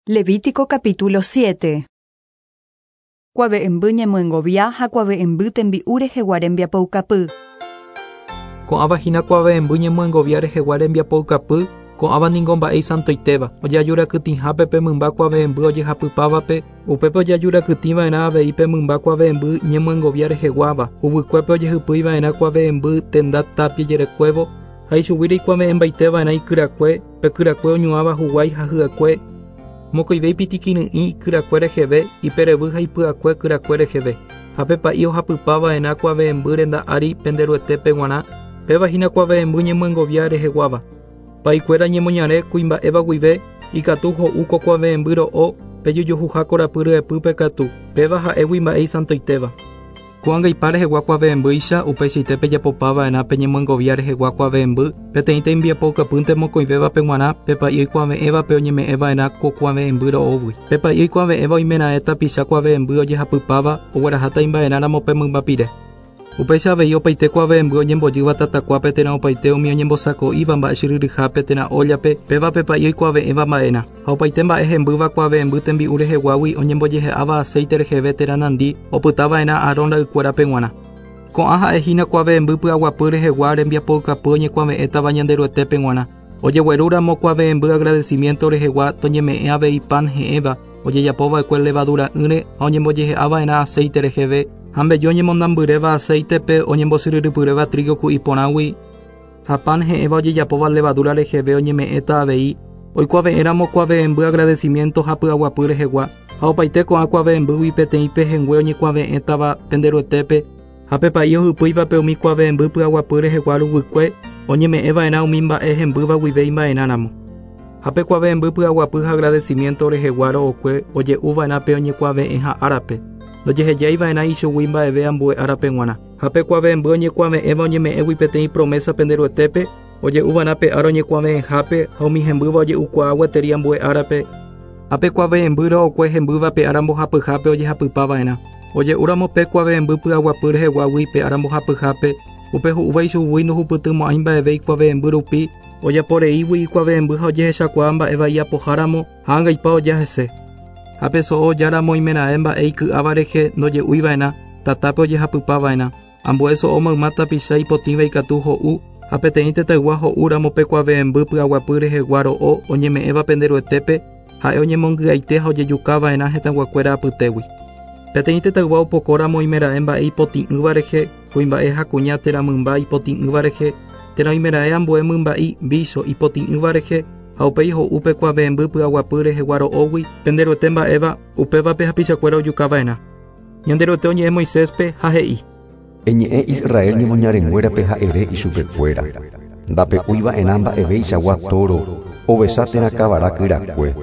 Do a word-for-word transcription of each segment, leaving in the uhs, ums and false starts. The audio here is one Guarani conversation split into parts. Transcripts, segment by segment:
Levítico capítulo siete. Kuave'ẽmby ñemyengovia ha kuave'ẽmby tembi'u rehegua rembiapoukapy. Ko'ãva hína kuave'ẽmby ñemyengovia rehegua rembiapoukapy, ko'ãva ningo mba'e isantoitéva, ojeajurakytĩhápe pe mymba kuave'ẽmby ojehapypávape, upépe ojeajurakytĩva'erã avei pe mymba kuave'ẽmby ñemyengovia reheguáva, huvykuépe ojehypýiva'erã kuave'ẽmby tenda tapia jerekuévo, ha ichugui reikuave'ẽmbaiteva'erã ikyrakue, pe kyrakue oñuãva huguái ha hy'akue, mokõive ipitikyry'ĩ ikyrakue reheve, iperevy ha ipy'akue kyrakue reheve, ha pe pa'i ohapypava'erã kuave'ẽmby renda ári penderuetépe g̃uarã, péva hína kuave'ẽmby ñemyengovia reheguáva. Pa'ikuéra ñemoñare kuimba'éva guive, ikatu ho'u ko kuave'ẽmby ro'o pejujuhuha korapy ryepýpe katu, péva ha'égui mba'e isantoitéva. Ko'ág̃a rehegua kuave'ẽmbýicha upeichaite pejapopava'erã pe ñemyengovia rehegua kuave'ẽmby, peteĩ tembiapoukapýnte mokõivévape g̃uarã pe pa'i oikuave'ẽvape oñeme'ẽva'erã ko kuave'ẽmby ro'ógui. Pe pa'i oikuave'ẽva oimeraẽ tapicha kuave'ẽmby ojehapypáva ogueraháta imba'erãramo pe mymbapire. Upéicha avei opaite kuave'ẽmby oñembojýva tatakuápe térã opaite umi oñembosako'íva mba'e chyryryhápe térã óllape, péva pe pa'i oikuave'ẽva mba'erã. Ha opaite mba'e hembýva kuave'ẽmby tembi'u reheguágui oñembojehe'áva aceite reheve térã nandi opytava'erã Aarón ra'ykuérape g̃uarã. Ko'ã ha'ehína kuave'ẽmby py'aguapy rehegua rembiapoukapy oñekuave'ẽtava Ñanderuetépe g̃uarã. Ojeguerúramo kuave'ẽmby agradecimiento rehegua toñeme'ẽ avei pan he'ẽva ojejapova'ekue levadura'ỹre ha oñembojehe'ava'erã aceite reheve, ha mbeju oñemondambyréva aceitepe oñembosyryrypyréva trigo ku'i porãgui, ha pan he'ẽva ojejapóva levadura reheve oñeme'ẽta avei, oikuave'ẽramo kuave'ẽmby agradecimiento ha py'aguapy rehegua, ha opaite ko'ã kuave'ẽmbýgui peteĩ pehẽngue oñekuave'ẽtava penderuetépe, ha pe pa'i ohypýivape umi kuave'ẽmby py'aguapy rehegua ruguykue oñeme'ẽva'erã umi mba'e hembýva guive imba'erãramo. Ha pe kuave'ẽmby py'aguapy ha agradecimiento rehegua ro'okue oje'uva'erã pe oñekuave'ẽha árape, ndojehejaiva'erã ichugui mba'eve ambue árape g̃uarã. Ha pe kuave'ẽmby oñekuave'ẽva oñeme'ẽgui peteĩ promesa penderuetépe, oje'uva'erã pe ára oñekuave'ẽhápe ha umi hembýva oje'ukuaa gueteri ambue árape. Ha pe kuave'ẽmby ro'okue hembýva pe ára mbohapyhápe ojehapypava'erã. Oje'úramo pe kuave'ẽmby py'aguapy reheguágui pe ára mbohapyhápe, upe hu'úva ichugui ndohupytymo'ãi mba'eve ikuave'ẽmby rupi, ojaporeígui ikuave'ẽmby ha ojehechakuaa mba'éva iapoháramo ha angaipa oja hese. Ha pe so'o ojáramo oimeraẽ mba'e iky'áva rehe ndoje'uiva'erã, tatápe ojehapypava'erã. Ambue so'o mayma tapicha ipotĩva ikatu ho'u, ha peteĩ tetaygua ho'úramo pe kuave'ẽmby py'aguapy rehegua ro'o oñeme'ẽva penderuetépe, ha'e oñemongy'aite ha ojejukava'erã hetãguakuéra apytégui. Peteĩ tetaygua opokóramo oimeraẽ mba'e ipotĩ'ỹva rehe, kuimba'e ha kuña térã mymba ipotĩ'ỹva rehe, térã oimeraẽ ambue mymba'i vícho ipotĩ'ỹva rehe, ha upéi ho'u pe kuave'ẽmby py'aguapy rehegua ro'ógui penderuete mba'éva, upévape hapichakuéra ojukava'erã. Ñanderuete oñe'ẽ Moiséspe ha he'i: Eñe'ẽ Israel ñemoñarenguérape ha'ere ichupekuéra. Ndape'úiva'erã mba'eveichagua toro, ovecha térã kavara kyrakue,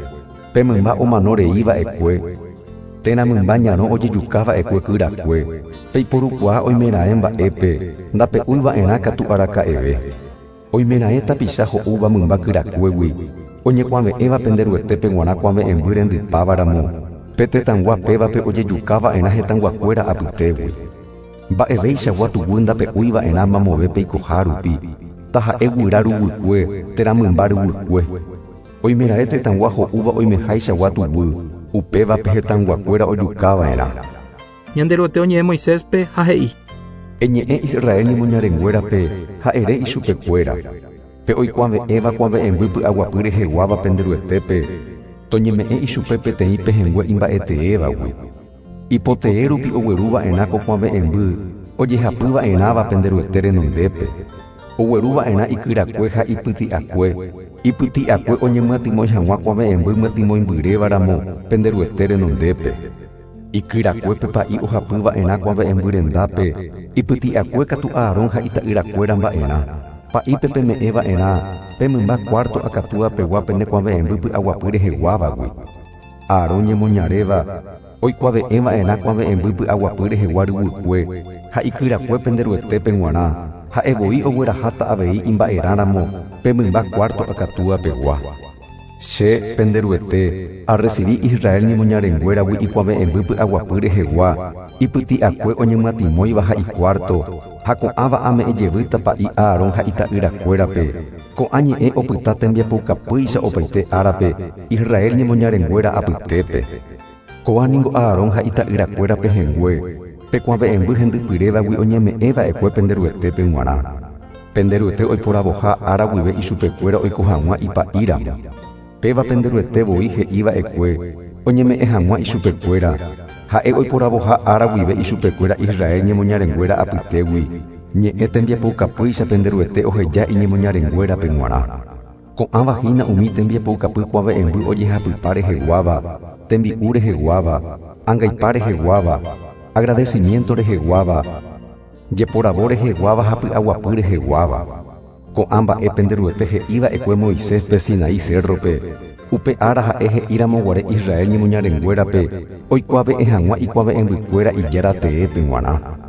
pe mymba omano reíva'ekue, térã mymba ñarõ ojejukáva'ekue kyrakue, peiporukuaa oimeraẽ mba'épe, ndape'úiva'erã katu araka'eve. Oimeraẽ tapicha ho'úva mymba kyrakuégui, oñekuave'ẽva penderuetépe g̃uarã kuave'ẽmby rendypávaramo, pe tetãygua pévape ojejukáva'erã hetãyguakuéra apytégui. Mba'eveichagua tuguy ndape'úiva'erã mamove peikoha rupi, taha'e guyra ruguykue térã mymba ruguykue. Oimeraẽ tetãygua ho'úva oimehaichagua tuguy, upévape hetãyguakuéra ojukava'erã. Ñanderuete oñe'ẽ Moiséspe ha he'i: Eñe'ẽ Israel ñemoñarenguérape ha'ere ichupekuéra. Pe oikuave'ẽva kuave'ẽmby py'aguapy reheguáva penderuetépe, toñeme'ẽ ichupe peteĩ pehẽngue imba'eteévagui. Ipotee rupi ogueruva'erã ko kuave'ẽmby ojehapyva'erãva penderuete renondépe. Ogueruva'erã ikyrakue ha ipyti'akue, ipyti'akue oñemyatymói hag̃ua kuave'ẽmby myatymóimbyrévaramo penderuete renondépe. Ikyrakuépe pa'i ohapyva'erã kuave'ẽmby rendápe, ipyti'akue katu Aarón ha ita'yrakuéra mba'erã. Pa'ípe peme'ẽva'erã pe mymba cuarto akatúapegua pene kuave'ẽmby py'aguapy reheguávagui. Aarón ñemoñaréva oikuave'ẽva'erã kuave'ẽmby py'aguapy rehegua ruguykue ha ikyrakue penderuetépe g̃uarã, ha'evoi ogueraháta avei imba'erãramo pe mymba cuarto akatúapegua. Che pende Ruete arrecibí Israel ñemoñarenguéragui ikuave'ẽmby py'aguapy rehegua ipyti'akue oñemyatimóiva ha icuarto ha ko'ãva ame'ẽjevýta pa'i Aarón ha ita'yrakuérape ko'ã ñe'ẽ opyta tembiapoukapýicha opaite árape Israel ñemoñarenguéra apytépe. Ko'ã ningo Aarón ha ita'yrakuérape hengue pekuave'ẽmby hendypyrévagui oñeme'ẽva'ekue pende Ruetépe g̃uarã. Pende Ruete oiporavoha ára guive ichupekuéra oiko hag̃ua ipa'íramo. Péva pende Ruete voi he'iva'ekue oñeme'ẽ hag̃ua ichupekuéra ha'e oiporavoha ára guive ichupekuéra Israel ñemoñarenguéra apytégui ñe'ẽ tembiapoukapýicha pende Ruete oheja iñemoñarenguérape g̃uarã. Ko'ãva hína umi tembiapoukapy kuave'ẽmby ojehapypa reheguáva, tembi'u reheguáva, angaipa reheguáva, agradecimiento reheguáva, jeporavo reheguáva ha py'aguapy reheguáva. Ko'ã mba'e pende Ruete he'iva'ekue Moiséspe Sinaí cerrope upe ára ha'e he'íramoguare Israel ñemoñarenguérape oikuave'ẽ hag̃ua ikuave'ẽmbykuéra ijára teépe g̃uarã.